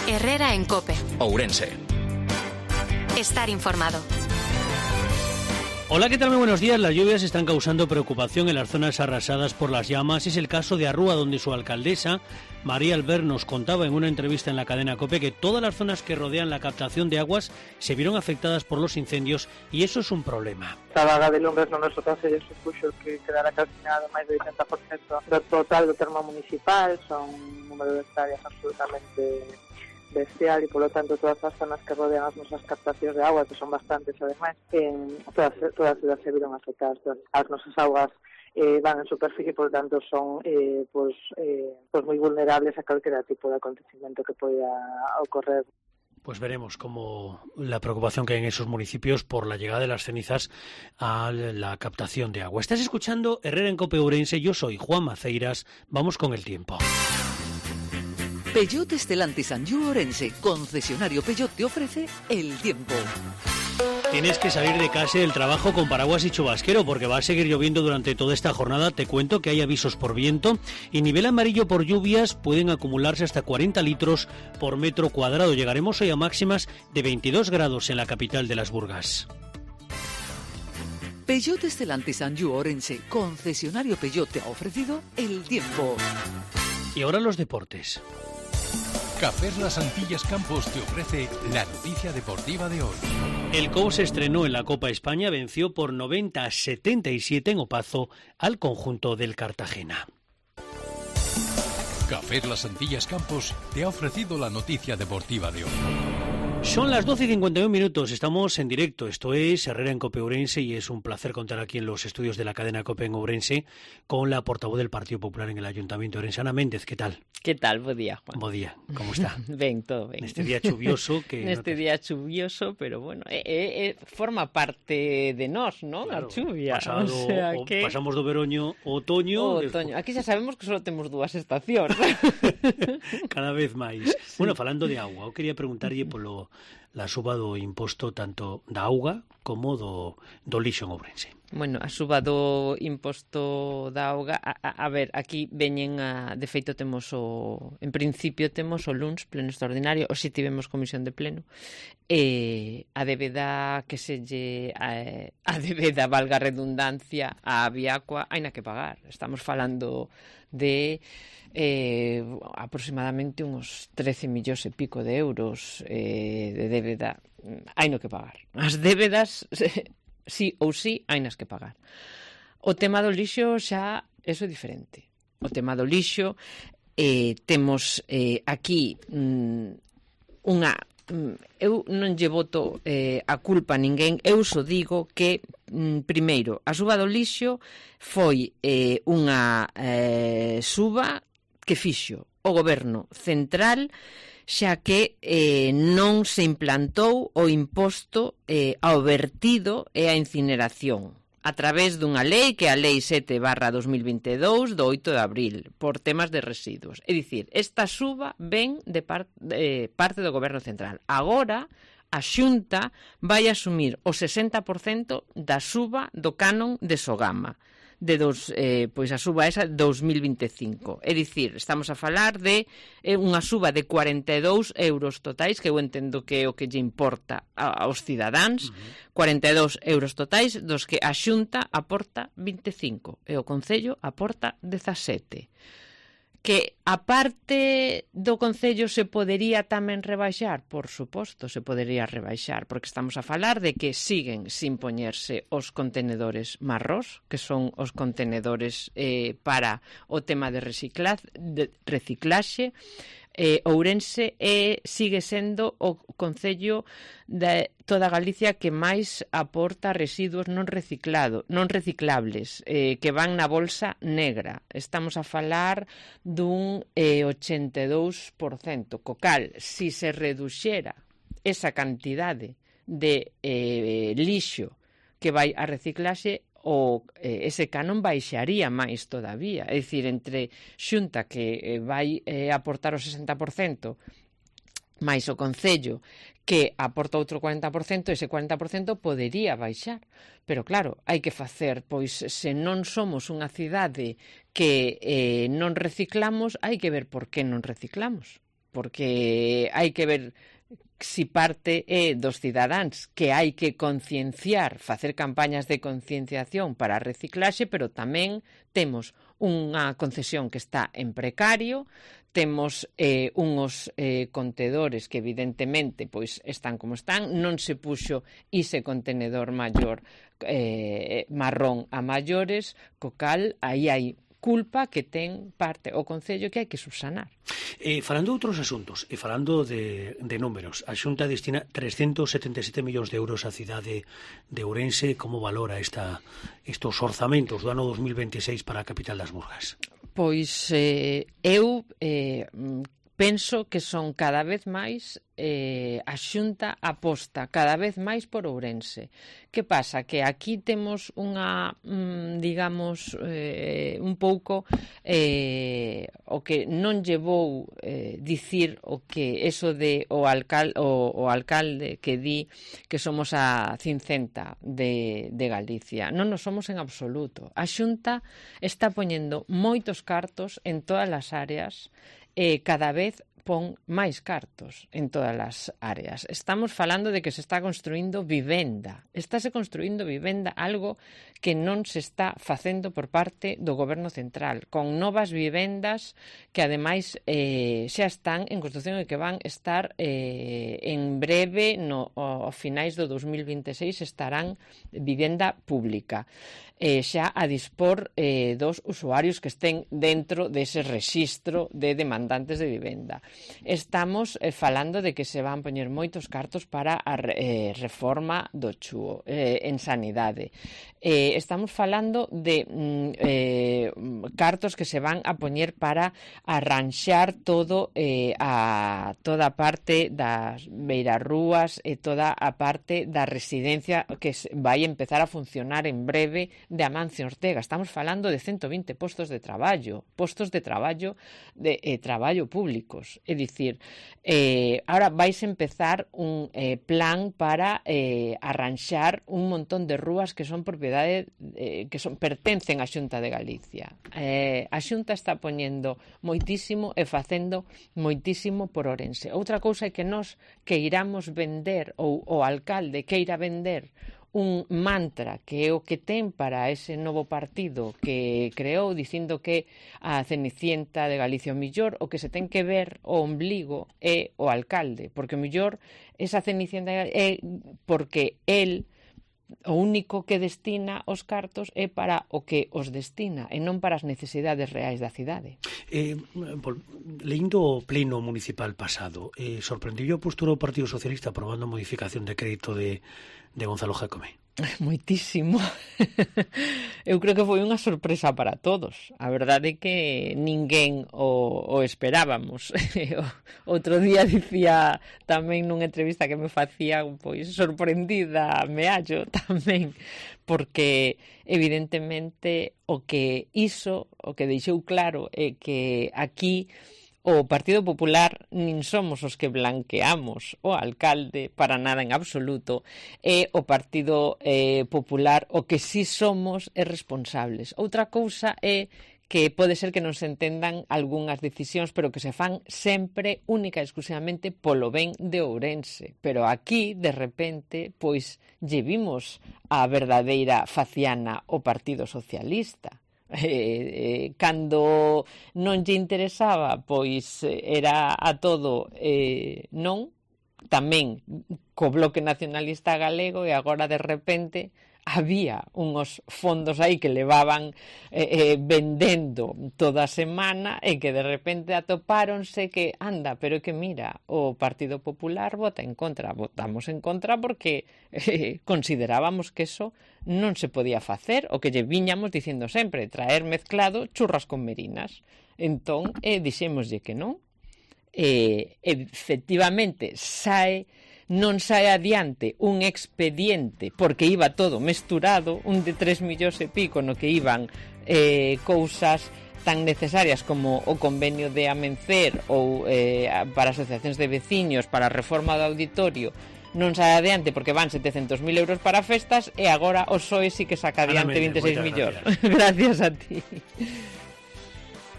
Herrera en COPE. Ourense. Estar informado. Hola, ¿qué tal? Muy buenos días. Las lluvias están causando preocupación en las zonas arrasadas por las llamas. Es el caso de Arrúa, donde su alcaldesa, María Albert, nos contaba en una entrevista en la cadena COPE que todas las zonas que rodean la captación de aguas se vieron afectadas por los incendios y eso es un problema. A vaga de lumbres no noso concello supuxo que quedara calcinado máis do 80% do total do termo municipal, son un número de hectáreas absolutamente bestial e, polo tanto, todas as zonas que rodean as nosas captacións de agua, que son bastantes, ademais, todas as se viron afectadas. As nosas augas van en superficie, por lo tanto son moi vulnerables a calquera tipo de acontecimiento que poida ocorrer. Pues veremos cómo la preocupación que hay en esos municipios por la llegada de las cenizas a la captación de agua. Estás escuchando Herrera en COPE Ourense, yo soy Juan Maceiras, vamos con el tiempo. Peugeot Stellantis Anjou Ourense, concesionario Peugeot, te ofrece el tiempo. Tienes que salir de casa del trabajo con paraguas y chubasquero porque va a seguir lloviendo durante toda esta jornada. Te cuento que hay avisos por viento y nivel amarillo por lluvias. Pueden acumularse hasta 40 litros por metro cuadrado. Llegaremos hoy a máximas de 22 grados en la capital de las Burgas. Peugeot Stellantis Anjou Ourense, concesionario Peugeot, te ha ofrecido el tiempo. Y ahora los deportes. Cafés Las Antillas Campos te ofrece la noticia deportiva de hoy. El COU se estrenó en la Copa España, venció por 90-77 en Opazo al conjunto del Cartagena. Cafés Las Antillas Campos te ha ofrecido la noticia deportiva de hoy. Son las 12:51, estamos en directo, esto es Herrera en COPE Ourense y es un placer contar aquí en los estudios de la cadena COPE en Ourense con la portavoz del Partido Popular en el Ayuntamiento de Ourense, Ana Méndez, ¿qué tal? Que tal? Bo día, Juan. Bo día, como está? Ben, todo ben. Neste día chuvioso que día chuvioso, pero bueno, forma parte de nós, non? Claro, a chuvia. Pasamos do veroño ao otoño. Aquí xa sabemos que só temos dúas estacións. Cada vez máis. Sí. Bueno, falando de auga, eu quería preguntarlle polo la suba do imposto tanto da auga como do lixo en Ourense. Bueno, a suba do imposto da auga, a ver, aquí veñen de feito temos en principio temos o luns pleno extraordinario, o si tivemos comisión de pleno, a débeda que a débeda, valga a redundancia, a Aviacua, haina que pagar. Estamos falando de aproximadamente uns 13 millóns e pico de euros de débeda, haino que pagar. As débedas sí ou sí, hainas que pagar. O tema do lixo xa, eso é diferente. O tema do lixo, temos aquí unha... eu non lle boto a culpa a ninguén, eu só digo que, primeiro, a suba do lixo foi unha suba que fixo o goberno central, xa que non se implantou o imposto ao vertido e á incineración a través dunha lei que é a Lei 7/2022 do 8 de abril por temas de residuos. É dicir, esta suba ven de parte do goberno central. Agora a Xunta vai asumir o 60% da suba do canon de Sogama pois a suba esa 2025. É dicir, estamos a falar de unha suba de 42 euros totais, que eu entendo que é o que lle importa aos cidadáns, 42 euros totais, dos que a Xunta aporta 25 e o Concello aporta 17. Que a parte do Concello se podería tamén rebaixar? Por suposto, se podería rebaixar, porque estamos a falar de que siguen sin poñerse os contenedores marrós, que son os contenedores para o tema de reciclaxe. Ourense sigue sendo o concello de toda Galicia que máis aporta residuos non reciclables, que van na bolsa negra. Estamos a falar dun 82%, co cal, si se reduxera esa cantidade de lixo que vai a reciclaxe, ese canon baixaría máis todavía. É dicir, entre Xunta que vai aportar o 60% máis o Concello que aporta outro 40%, ese 40% podería baixar. Pero claro, hai que facer, pois se non somos unha cidade que non reciclamos, hai que ver por que non reciclamos. porque hai que ver si parte é dos cidadáns, que hai que concienciar, facer campañas de concienciación para a reciclaxe, pero tamén temos unha concesión que está en precario, temos unhos contedores que evidentemente pois están como están, non se puxo ese contenedor maior marrón a maiores, co cal aí hai culpa que ten parte o Concello que hai que subsanar. Falando de outros asuntos e falando de números, a Xunta destina 377 millóns de euros á cidade de Ourense. Como valora estos orzamentos do ano 2026 para a capital das Murgas? Pois eu penso que son cada vez máis a Xunta aposta cada vez máis por Ourense. Que pasa? Que aquí temos unha, digamos, un pouco o que non llevou dicir o que eso de o alcalde que di que somos a cincenta de Galicia. Non nos somos en absoluto. A Xunta está poñendo moitos cartos en todas as áreas e cada vez pon máis cartos en todas as áreas. Estamos falando de que se está construindo vivenda. Estáse construindo vivenda, algo que non se está facendo por parte do Goberno Central, con novas vivendas que ademais xa están en construción e que van estar en breve, ao finais do 2026 estarán vivenda pública. Xa a dispor dos usuarios que estén dentro dese rexistro de demandantes de vivenda. Estamos falando de que se van poñer moitos cartos para a reforma do CHUO en sanidade. Estamos falando de cartos que se van a poñer para arranxar todo toda a parte das beirarrúas e toda a parte da residencia que vai empezar a funcionar en breve de Amancio Ortega. Estamos falando de 120 postos de traballo públicos. É dicir, ahora vais empezar un plan para arranxar un montón de rúas que son propiedade que pertencen á Xunta de Galicia. A Xunta está poñendo moitísimo e facendo moitísimo por Ourense. Outra cousa é que nós queiramos vender, ou o alcalde queira vender un mantra que é o que ten para ese novo partido que creou dicindo que a Cenicienta de Galicia o millor, o que se ten que ver o ombligo é o alcalde, porque o millor esa Cenicienta é porque el o único que destina os cartos é para o que os destina e non para as necesidades reais da cidade. Lendo o pleno municipal pasado, sorprendiu a postura do Partido Socialista aprobando a modificación de crédito de Gonzalo Jácome? Moitísimo. Eu creo que foi unha sorpresa para todos. A verdade é que ninguén o esperábamos. Outro día dicía tamén nunha entrevista que me facía, pois, sorprendida, me hallo tamén, porque evidentemente o que deixou claro é que aquí o Partido Popular nin somos os que blanqueamos o alcalde para nada en absoluto, e o Partido Popular o que sí somos é responsables. Outra cousa é que pode ser que non se entendan algunhas decisións, pero que se fan sempre única e exclusivamente polo ben de Ourense. Pero aquí, de repente, pois, lle vimos a verdadeira faciana o Partido Socialista. Cando non lle interesaba, pois era a todo non, tamén co Bloque Nacionalista Galego, e agora de repente había unhos fondos aí que levaban vendendo toda a semana e que de repente atopáronse que, anda, pero é que mira, o Partido Popular vota en contra. Votamos en contra porque considerábamos que eso non se podía facer, o que lle viñamos dicindo sempre, traer mezclado churras con merinas. Entón, dixémoslle que non. Efectivamente, non sae adiante un expediente porque iba todo mesturado, un de 3 millóns e pico no que iban cousas tan necesarias como o convenio de Amencer ou para asociacións de veciños, para a reforma do auditorio. Non sae adiante porque van 700.000 euros para festas, e agora o PSOE sí que saca adiante 26 millóns. Gracias a ti.